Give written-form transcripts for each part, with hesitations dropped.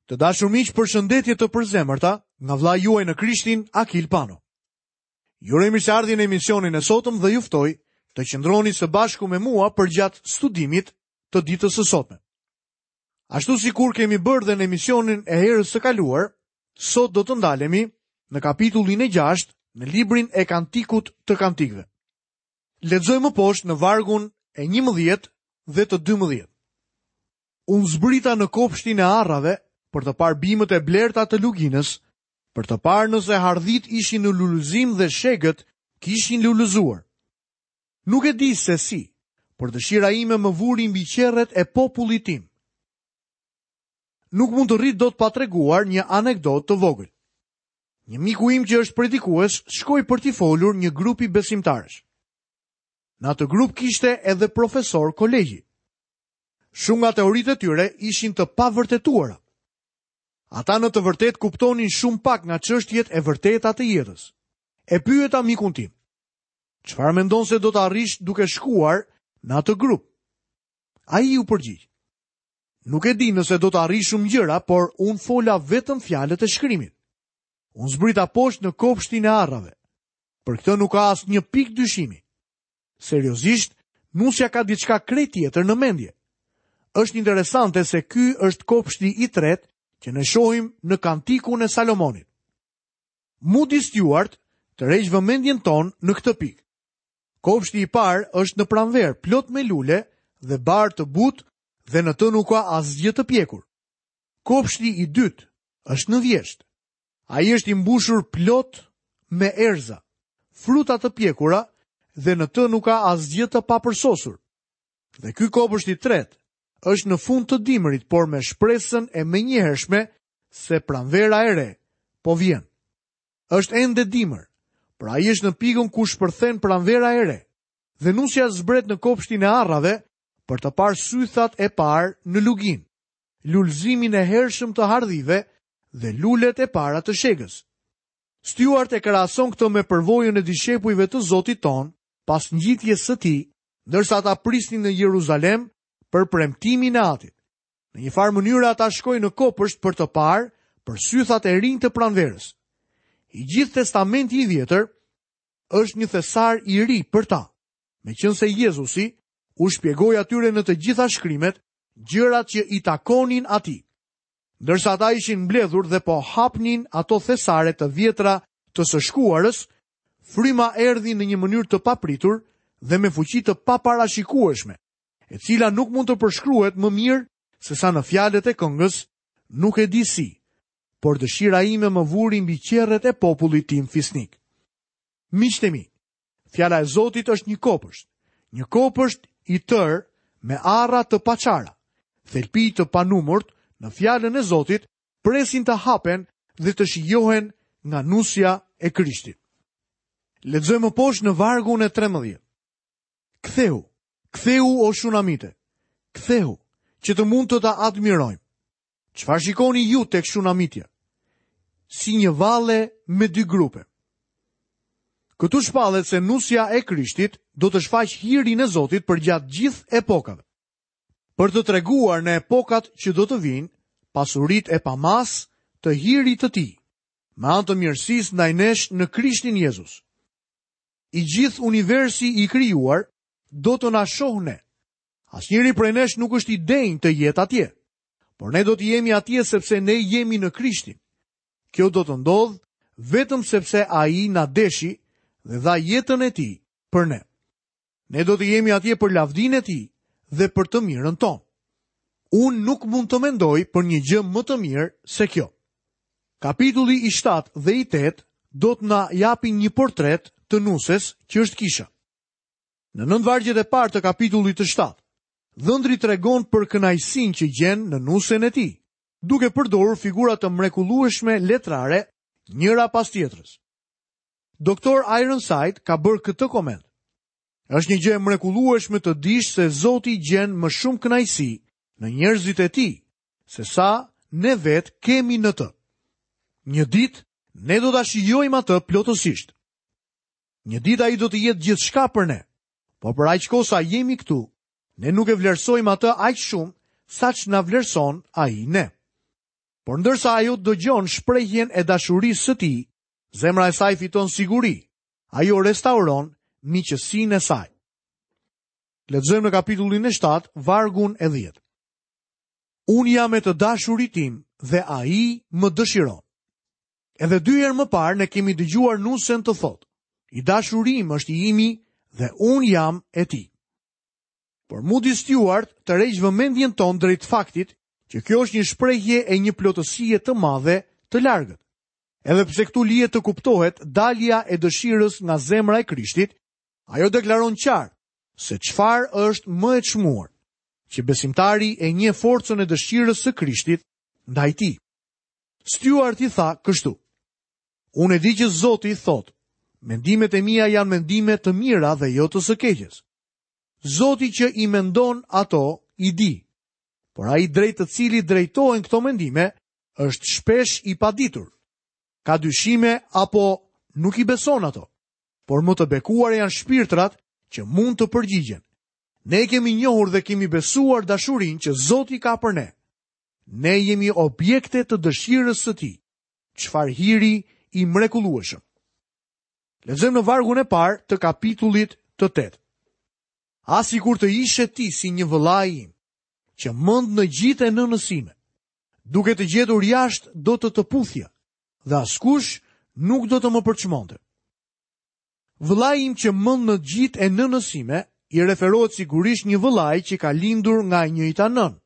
Të dashur miq, përshëndetje të përzemërta nga vëllai juaj në Krishtin, Akil Pano. Ju uroj mirëseardhje në emisionin e sotëm dhe ju ftoj të qëndroni së bashku me mua përgjatë studimit të ditës së sotme. Ashtu sikur kemi bërë dhe në emisionin e herës së kaluar, sot do të ndalemi në kapitullin e 6 në librin e Kantikut të Kantikëve. Lexojmë më poshtë në vargun e 11 dhe të 12. Unë zbrita në kopshtin e arrave për të parë bimët e blerta të luginës, për të parë nëse hardhitë ishin në lulëzim dhe shegët kishin lulëzuar. Nuk e di se si, por dëshira ime më vuri mbi qerret e popullit tim. Nuk mund të rri dot pa treguar një anekdotë të vogël. Një miku im që është predikues shkoi për t'i folur një grupi besimtarësh. Në atë grup kishte edhe profesorë kolegji. Shumë nga teoritë e tyre ishin të pavërtetuara. Ata në të vërtetë kuptonin shumë pak nga çështjet e vërteta të jetës. E pyeta mikun tim. Çfarë mendon se do të arrish duke shkuar në atë grup? Ai iu përgjigj. Nuk e di nëse do të arrij shumë gjëra, por unë fola vetëm fjalët e shkrimit. Unë zbrita poshtë në kopshtin e arrave. Për këtë nuk ka asnjë pikë dyshimi. Seriozisht, nusja ka diçka krejt tjetër në mendje. Është interesante se ky është kopshti i tretë që ne shohim në Kantikun e Salomonit. Moody Stuart tërheq vëmendjen tonë në këtë pikë. Kopshti i parë është në pranverë, plot me lule dhe bar të butë dhe në të nuk ka asgjë të pjekur. Kopshti i dytë është në vjeshtë. Ai është i mbushur plot me erëza, fruta të pjekura dhe në të nuk ka asgjë të papërsosur. Dhe ky kopësht i tretë është në fund të dimrit, por me shpresën e menjëhershme se pranvera e re po vjen. Është ende dimër, por ai është në pikën ku shpërthen pranvera e re. Dhe nusja zbret në kopshtin e arrave për të parë sythat e parë në luginë. lulëzimin e hershëm të hardhive dhe lulet e para të shegës. Stuart e krahason këtë me përvojën e dishepujve të Zotit tonë pas ngjitjes së tij, ndërsa ata prisnin në Jeruzalem për premtimin e Atit. Në një farë mënyre ata shkojnë në kopësht për të parë për sythat e rinj të pranverës. I gjithë testamenti i vjetër është një thesar i ri për ta, meqenëse Jezusi u shpjegoi atyre në të gjitha shkrimet gjërat që i takonin atij. Ndërsa ata ishin mbledhur dhe po hapnin ato thesare të vjetra të së shkuarës, fryma erdhi në një mënyrë të papritur dhe me fuqi të paparashikueshme, e cila nuk mund të përshkruhet më mirë sesa në fjalët e këngës, nuk e di si, por dëshira ime më vuri mbi qerret e popullit tim fisnik. Miqtë e mi, Fjala e Zotit është një kopësht, një kopësht i tërë me arra të paçara. Thelpinj të panumërt në fjalën e Zotit presin të hapen dhe të shijohen nga nusja e Krishtit. Lexojmë më poshtë në vargun e 13. Kthehu, kthehu o Shunamite, kthehu, që të mund të të admirojmë. Çfarë shikoni ju tek Shunamitja? Si një valle me dy grupe. Këtu shpallet se nusja e Krishtit do të shfaqë hirin e Zotit përgjatë gjithë epokave. Për të treguar në epokat që do të vijnë, pasuritë e pamasë të hirit të tij, me anë të mirësisë ndaj nesh në Krishtin Jezus. I gjithë universi i krijuar do të na shohë ne. Asnjëri prej nesh nuk është i denjë të jetë atje. Por ne do të jemi atje sepse ne jemi në Krishtin. Kjo do të ndodhë vetëm sepse ai na deshi dhe dha jetën e tij për ne. Ne do të jemi atje për lavdinë e tij dhe për të mirën tonë. Unë nuk mund të mendoj për një gjë më të mirë se kjo. Kapitulli i 7 dhe i 8 do të na japin një portret të nuses që është kisha. Në nëntë vargjet e parë të kapitullit të 7, dhëndri tregon për kënaqësinë që gjen në nusen e tij, duke përdorur figura të mrekullueshme letrare njëra pas tjetrës. Doktor Ironside ka bërë këtë koment. Është një gjë e mrekullueshme të dish se Zoti gjen më shumë kënaqësi në njerëzit e tij, sesa ne vetë kemi në të. Një ditë ne do ta shijojmë atë plotësisht. Një ditë ai do të jetë gjithçka për ne. Por për aq kohë sa jemi këtu, ne nuk e vlerësojmë atë aq shumë saç na vlerëson ai ne. Por ndërsa ajo dëgjon shprehjen e dashurisë së tij, zemra e saj fiton siguri. Ajo restauron miqësinë e saj. Lexojmë në kapitullin e 7, vargun e 10. Unë jam e të dashurit tim dhe ai më dëshiron. Edhe dy herë më parë ne kemi dëgjuar nusen të thotë, i dashuri im është i imi dhe unë jam e tij. Por Moody Stuart tërheq vëmendjen tonë drejt faktit që kjo është një shprehje e një plotësie të madhe të largët. Edhe pse këtu lihet të kuptohet dalja e dëshirës nga zemra e Krishtit, ajo deklaron qartë se çfarë është më e çmuar, që besimtari e njeh forcën e dëshirës së Krishtit ndaj tij. Stuarti tha kështu: Unë e di që Zoti thotë, mendimet e mia janë mendime të mira dhe jo të së keqes. Zoti që i mendon ato i di. Por ai drejt të cilit drejtohen këto mendime është shpesh i paditur. Ka dyshime apo nuk i beson ato. Por më të bekuar janë shpirtrat që mund të përgjigjen. Ne e kemi njohur dhe kemi besuar dashurinë që Zoti ka për ne. Ne jemi objekte të dëshirës së tij. Çfarë hiri i mrekullueshëm. Lexojmë në vargun e parë të kapitullit të 8. Ah sikur të ishe ti si një vëllai im, që mend në gjitë e nënës sime, duke të gjetur jashtë do të të puthja, dhe askush nuk do të më përçmonte. Vëllai im që mend në gjitë e nënës sime, i referohet sigurisht një vëllai që ka lindur nga e njëjta nënë,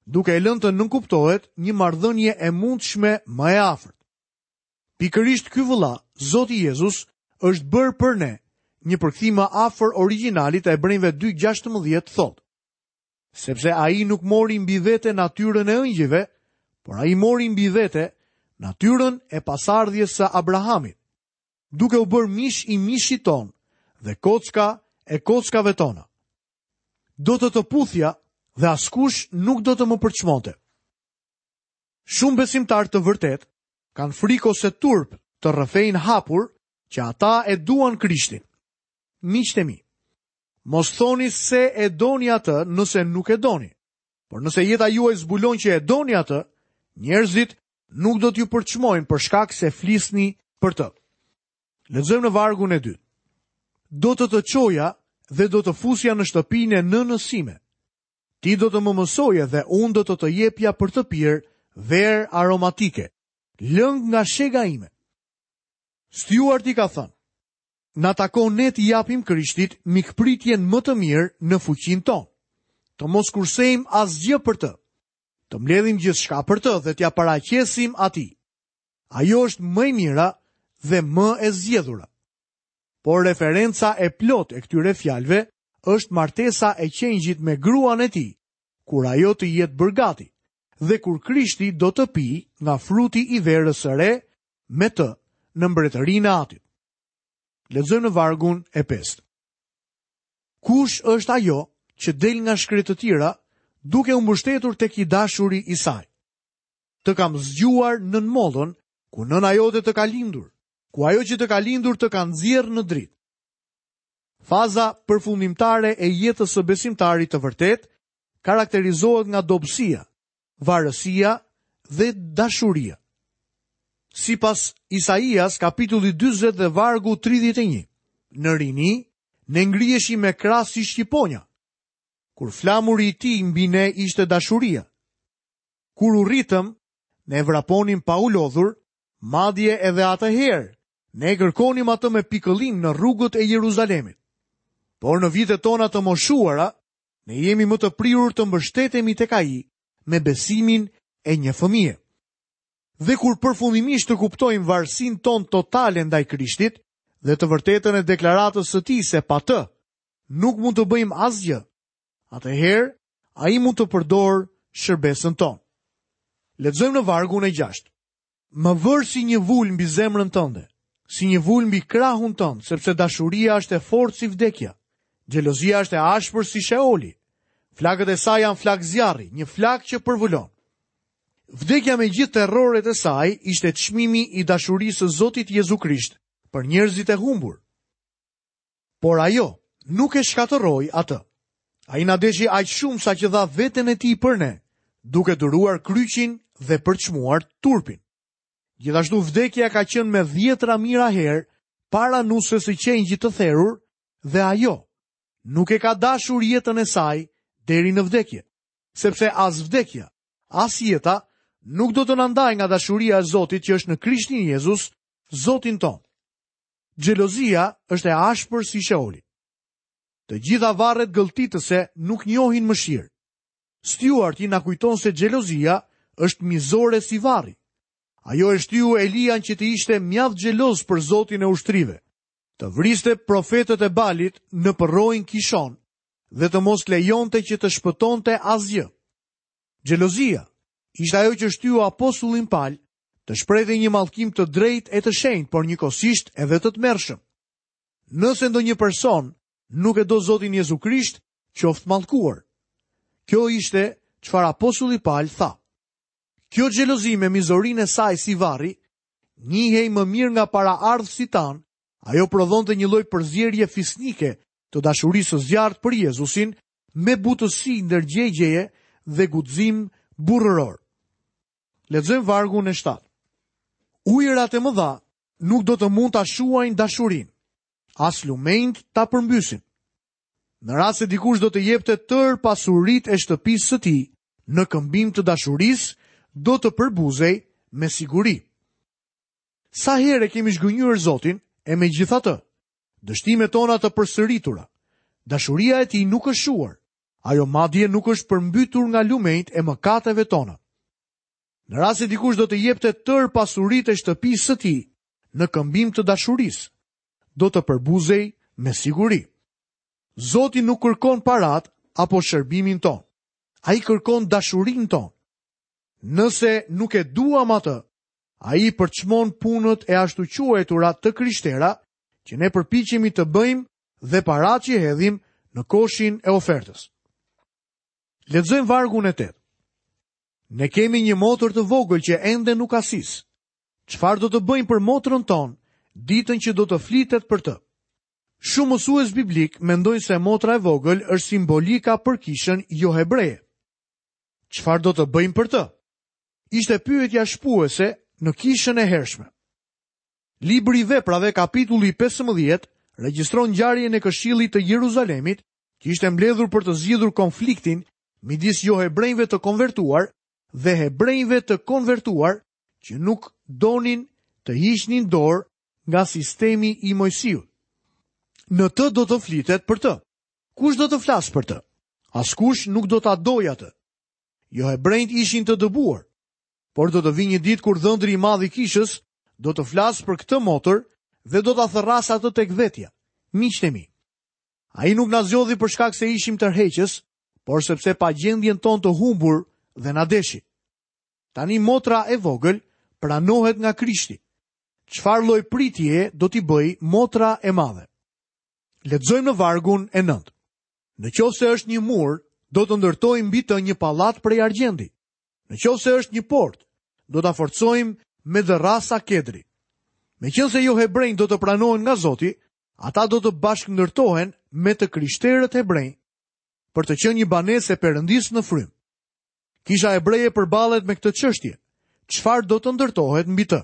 duke e lënë të nënkuptohet një marrëdhënie e mundshme më e afërt. Pikërisht ky vëlla, Zoti Jezus, është bërë për ne, një përkthim më afër origjinalit të Hebrenjve 2:16 thotë: Sepse ai nuk mori mbi vete natyrën e engjëjve, por ai mori mbi vete natyrën e pasardhjes së Abrahamit, duke u bërë mish i mishit tonë dhe kocka e kockave tona. Do të të puthja dhe askush nuk do të më përçmonte. Shumë besimtarë të vërtetë kanë frikë ose turp të rrëfejnë hapur që ata e duan Krishtin. Miqtë e mi, mos thoni se e doni atë nëse nuk e doni. Por nëse jeta juaj zbulon që e doni atë, njerëzit nuk do t'ju përçmojnë për shkak se flisni për të. Lexojmë në vargun e dytë. Do të të çoja dhe do të fusja në shtëpinë e nënës sime. Ti do të më mësoje dhe unë do të të jepja për të pirë verë aromatike, lëng nga shega ime. Stjuarti ka thënë, na takon ne t'i japim Krishtit mikpritjen më të mirë në fuqinë tonë. Të mos kursejmë asgjë për të. Të mbledhim gjithçka për të dhe t'ia paraqesim atij. Ajo është më e mira dhe më e zgjedhura. Por referenca e plotë e këtyre fjalëve është martesa e qengjit me gruan e tij, kur ajo të jetë bërë gati dhe kur Krishti do të pijë nga fruti i verës së re me të në mbretërinë e Atit. Lexojmë në vargun e pestë. Kush është ajo që del nga shkretëtira duke u mbështetur tek i dashuri i saj? Të kam zgjuar nën mollën, ku nëna jote të ka lindur, ku ajo që të ka lindur të ka nxjerrë në dritë. Faza përfundimtare e jetës së besimtarit të vërtetë karakterizohet nga dobësia, varësia dhe dashuria. Sipas Isaias kapitulli 40 dhe vargu 31, në rini ne ngriheshim me krahë si shqiponja, kur flamuri i tij mbi ne ishte dashuria. Kur u rritëm, ne vraponim pa u lodhur, madje edhe atëherë Ne e kërkonim atë me pikëllim në rrugët e Jeruzalemit. Por në vitet tona të moshuara, ne jemi më të prirur të mbështetemi tek ai me besimin e një fëmije. Dhe kur përfundimisht të kuptojmë varësinë tonë totale ndaj Krishtit dhe të vërtetën e deklaratës së tij se pa të nuk mund të bëjmë asgjë, atëherë ai mund të përdorë shërbesën tonë. Lexojmë në vargun e 6. Më vër si një vulë mbi zemrën tënde, si një vulë mbi krahun tënd, sepse dashuria është e fortë si vdekja. Xhelozia është e ashpër si Sheoli. Flakët e saj janë flakë zjarri, një flakë që përvëlon. Vdekja me gjithë terroret e saj ishte çmimi i dashurisë së Zotit Jezu Krisht për njerëzit e humbur. Por ajo nuk e shkatërroi atë. Ai na deshi aq shumë sa që dha veten e tij për ne, duke duruar kryqin dhe përçmuar turpin. Gjithashtu vdekja ka qenë me dhjetra mijëra herë para nuses së qengjit të therur dhe ajo nuk e ka dashur jetën e saj deri në vdekje, sepse as vdekja, as jeta nuk do të na ndajë nga dashuria e Zotit që është në Krishtin Jezus, Zotin tonë. Xhelozia është e ashpër si Sheoli. Të gjitha varret gëlltitëse nuk njohin mëshirë. Stjuarti na kujton se xhelozia është mizore si varri. Ajo e shtyu Elian që të ishte mjaft xheloz për Zotin e ushtrive, të vriste profetët e Balit në përroin Kishon dhe të mos lejonte që të shpëtonte asgjë. Xhelozia ishte ajo që shtyu apostullin Pal të shprehte një mallkim të drejtë e të shenjtë, por njëkohësisht edhe të tmerrshëm. Nëse ndonjë person nuk e do Zotin Jezu Krisht, qoftë mallkuar. Kjo ishte çfarë apostulli Pal tha. Kjo xhelozi me mizorinë e saj si varri, njihej më mirë nga paraardhësit tanë, ajo prodhonte një lloj përzierje fisnike të dashurisë së zjarrtë për Jezusin me butësi ndërgjegjeje dhe guxim burrëror. Lexojmë vargun e 7. Ujërat e mëdha nuk do të mund ta shuajnë dashurinë, as lumenjtë ta përmbysin. Në rast se dikush do të jepte tërë pasuritë e shtëpisë së tij në këmbim të dashurisë, do të përbuzej me siguri. Sa herë e kemi zhgënjyer Zotin e megjithatë, dështimet tona të përsëritura, dashuria e tij nuk është shuar, ajo madje nuk është përmbytur nga lumenjtë e mëkateve tona. Në rast se dikush do të jepte tërë pasuritë e shtëpisë së tij në këmbim të dashurisë, do të përbuzej me siguri. Zoti nuk kërkon paratë apo shërbimin tonë. Ai kërkon dashurinë tonë. Nëse nuk e duam atë, ai përçmon punët e ashtuquajtura të krishtera që ne përpiqemi të bëjmë dhe paratë që hedhim në koshin e ofertës. Lexojmë vargun e 8. Ne kemi një motër të vogël që ende nuk ka sisë. Çfarë do të bëjmë për motrën tonë ditën që do të flitet për të? Shumë mësues biblikë mendojnë se motra e vogël është simbolika për kishën johebreje. Çfarë do të bëjmë për të? Ishte pyetja shpuese në kishën e hershme. Libri i Veprave, kapitulli 15, regjistron ngjarjen e Këshillit të Jeruzalemit, që ishte mbledhur për të zgjidhur konfliktin midis johebrenjve të konvertuar dhe hebrenjve të konvertuar që nuk donin të hiqnin dorë nga sistemi i Moisiut. Në të do të flitet për të. Kush do të flasë për të? Askush nuk do ta dojë atë. Johebrenjtë ishin të dëbuar, por do të vijë një ditë kur dhëndri i madh i kishës do të flasë për këtë motër dhe do ta thërrasë atë tek vetja. Miqtë e mi, Ai nuk na zgjodhi për shkak se ishim tërheqës, por sepse pa gjendjen tonë të humbur dhe na deshi. Tani motra e vogël pranohet nga Krishti. Çfarë lloj pritjeje do t'i bëjë motra e madhe? Lexojmë në vargun e 9. Në qoftë se është një mur, do të ndërtojmë mbi të një pallat prej argjendi. Në qoftë se është një portë, do ta forcojmë me dërrasa kedri. Meqenëse johebrenjtë do të pranohen nga Zoti, ata do të bashkëndërtohen me të krishterët hebrenj për të qenë një banesë e Perëndisë në frymë. Kisha hebreje përballet me këtë çështje. Çfarë do të ndërtohet mbi të?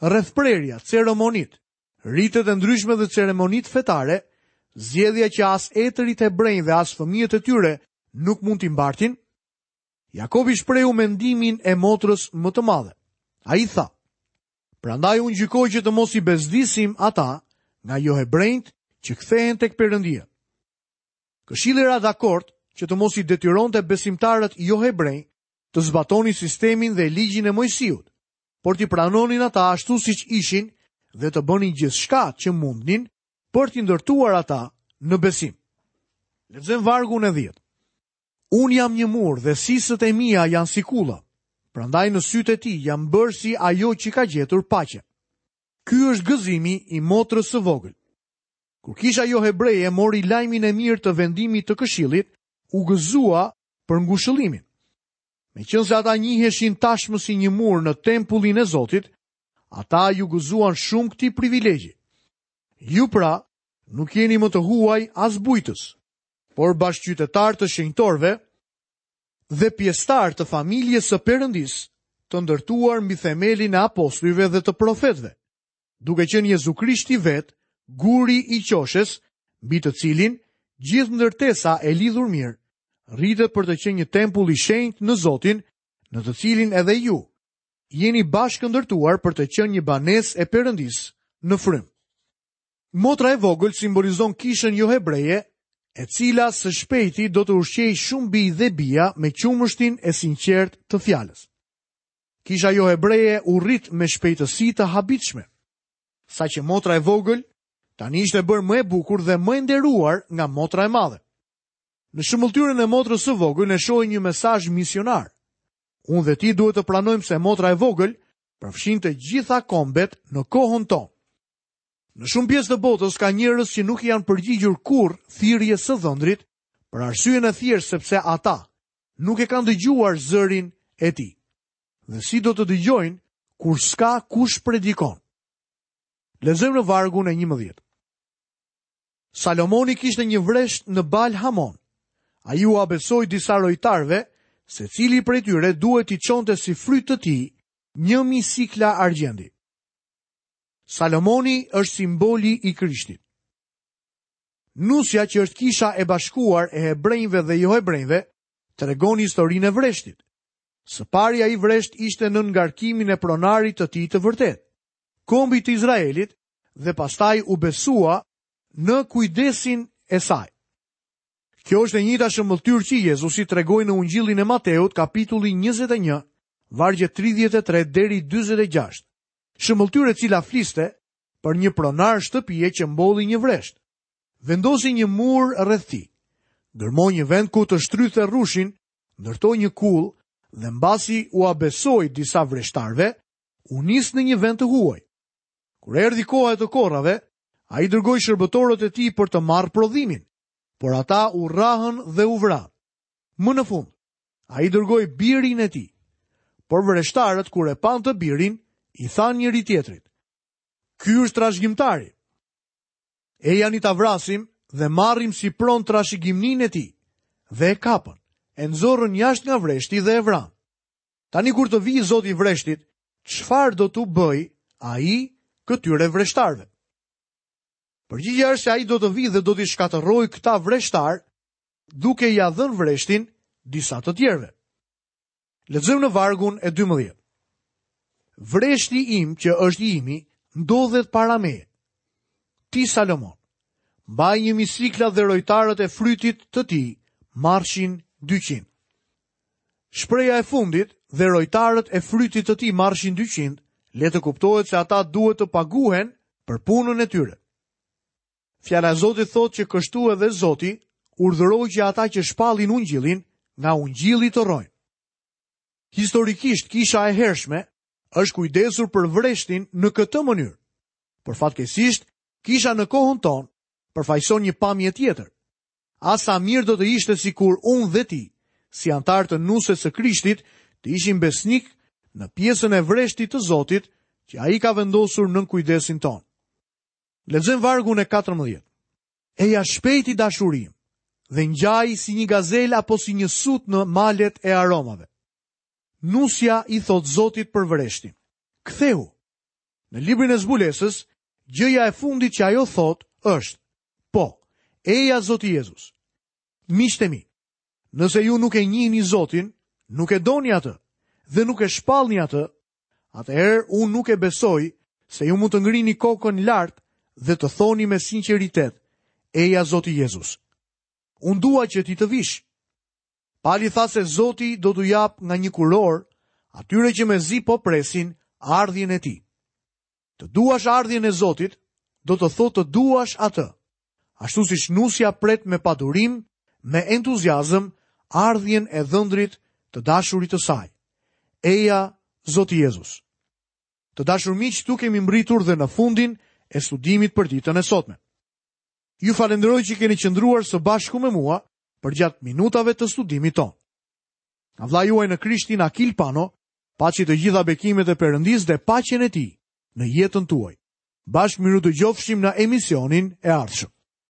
Rrethprerja, ceremonitë, ritet e ndryshme dhe ceremonitë fetare, zgjedhja që as etërit hebrenj dhe as fëmijët e tyre nuk mund t'i mbartin? Jakobi shprehu mendimin e motrës më të madhe. Ai tha: Prandaj unë gjykoj që të mos i bezdisim ata nga johebrenjtë që kthehen tek Perëndia. Këshilli ra dakord që të mos i detyronte besimtarët johebrenj të zbatonin sistemin dhe ligjin e Moisiut, por t'i pranonin ata ashtu siç ishin dhe të bënin gjithçka që mundnin për t'i ndërtuar ata në besim. Lexojmë vargun e 10. Unë jam një mur dhe sisët e mia janë si kulla. Prandaj në sytë e tij jam bërë si ajo që ka gjetur paqe. Ky është gëzimi i motrës së vogël. Kur kisha johebreje mori lajmin e mirë të vendimit të këshillit, u gëzua për ngushëllimin. Meqenëse ata njiheshin tashmë si një mur në tempullin e Zotit, ata iu gëzuan shumë këtij privilegji. Ju pra, nuk jeni më të huaj as bujtës, por bashkëqytetarë të shenjtorëve dhe pjesëtarë të familjes së Perëndisë. të ndërtuar mbi themelin e apostujve dhe të profetëve, duke qenë Jezu Krishti vetë guri i qoshes, mbi të cilin gjithë ndërtesa e lidhur mirë rritet për të qenë një tempull i shenjtë në Zotin, në të cilin edhe ju jeni bashkëndërtuar për të qenë një banesë e Perëndisë në frymë. Motra e vogël simbolizon kishën johebreje, e cila së shpejti do të ushqejë shumë bij dhe bija me qumështin e sinqertë të fjalës. Kisha johebreje u rrit me shpejtësi të habitshme, saqë motra e vogël tani ishte bërë më e bukur dhe më e nderuar nga motra e madhe. Në shëmbëlltyrën e motrës së vogël ne shohim një mesazh misionar. Unë dhe ti duhet të pranojmë se motra e vogël përfshin të gjitha kombet në kohën tonë. Në shumë pjesë të botës ka njerëz që nuk i janë përgjigjur kurrë thirrjes së dhëndrit për arsyen e thjeshtë sepse ata nuk e kanë dëgjuar zërin e tij. Dhe si do të dëgjojnë kur s'ka kush predikon? Lexojmë në vargun e 11. Salomoni kishte një vresht në Bal Hamon. Ai ua besoi disa rojtarëve, secili prej tyre duhet t'i çonte si fryt të tij 1000 sikla argjendi. Salomoni është simboli i Krishtit. Nusja që është kisha e bashkuar e hebrenjve dhe johebrenjve, tregon historinë e vreshtit. Së pari ai vresht ishte nën ngarkimin e pronarit të tij të vërtetë, kombit të Izraelit dhe pastaj u besua në kujdesin e saj. Kjo është e njëjta shëmbëlltyrë që Jezusi tregoi në Ungjillin e Mateut, kapitulli 21, vargjet 33 deri 46. Shëmbëlltyrë e cila fliste për një pronar shtëpie që mbolli një vresht. Vendosi një mur rreth tij. Gërmoi një vend ku të shtrydhte rrushin, ndërtoi një kullë dhe mbasi ua besoi disa vreshtarëve, u nis në një vend të huaj. Kur erdhi koha e të korrave, ai dërgoi shërbëtorët e tij për të marrë prodhimin, por ata u rrahën dhe u vranë. Më në fund, ai dërgoi birin e tij. Por vreshtarët kur e panë të birin, i thanë njëri-tjetrit: Ky është trashëgimtari. Ejani ta vrasim dhe marrim si pronë trashëgimninë e tij. Dhe e kapën, e nxorën jashtë nga vreshti dhe e vranë. Tani kur të vijë zoti i vreshtit, çfarë do t'u bëjë ai këtyre vreshtarëve? Përgjigja është se ai do të vijë dhe do t'i shkatërrojë këta vreshtarë duke ia dhënë vreshtin disa të tjerëve. Lexojmë në vargun e 12. Vreshti im që është i imi ndodhet para meje. Ti Salomon, mbaj 1000 sikla dhe rojtarët e frytit të tij marrshin 200. Shprehja e fundit dhe rojtarët e frytit të tij marrshin 200, le të kuptohet se ata duhet të paguhen për punën e tyre. Fjala e Zotit thotë që kështu edhe Zoti urdhëroi që ata që shpallin ungjillin nga ungjilli të rrojnë. Historikisht kisha e hershme është kujdesur për vreshtin në këtë mënyrë. Por fatkeqësisht, kisha në kohën tonë përfaqëson një pamje tjetër. Ah sa mirë do të ishte sikur unë dhe ti, si anëtarë të nuses së Krishtit, të ishim besnikë në pjesën e vreshtit të Zotit që ai ka vendosur nën kujdesin tonë. Lexojmë vargun e 14. Eja shpejt i dashuri im dhe ngjaj si një gazelë apo si një sut në malet e aromave. Nusja i thotë Zotit për vreshtin. Kthehu. Në librin e zbulesës, gjëja e fundit që ajo thotë është: Po, eja Zoti Jezus. Miqtë e mi, nëse ju nuk e njihni Zotin, nuk e doni atë dhe nuk e shpallni atë, atëherë unë nuk e besoj se ju mund të ngrini kokën lart dhe të thoni me sinqeritet, eja Zoti Jezus. Unë dua që ti të vish. Pali tha se Zoti do t'u japë nga një kurorë atyre që mezi po presin ardhjen e tij. Të duash ardhjen e Zotit, do të thotë të duash atë. Ashtu siç nusja pret me padurim, me entuziazëm, ardhjen e dhëndrit të dashurit të saj. Eja, Zoti Jezus. Të dashur miq, këtu kemi mbërritur dhe në fundin e studimit për ditën e sotme. Ju falënderoj që keni qëndruar së bashku me mua përgjatë minutave të studimit tonë. Nga vëllai juaj në Krishtin Akil Pano, paçi të gjitha bekimet e Perëndisë dhe paqen e tij në jetën tuaj. Bashkë mirudëgjofshim në emisionin e ardhshëm.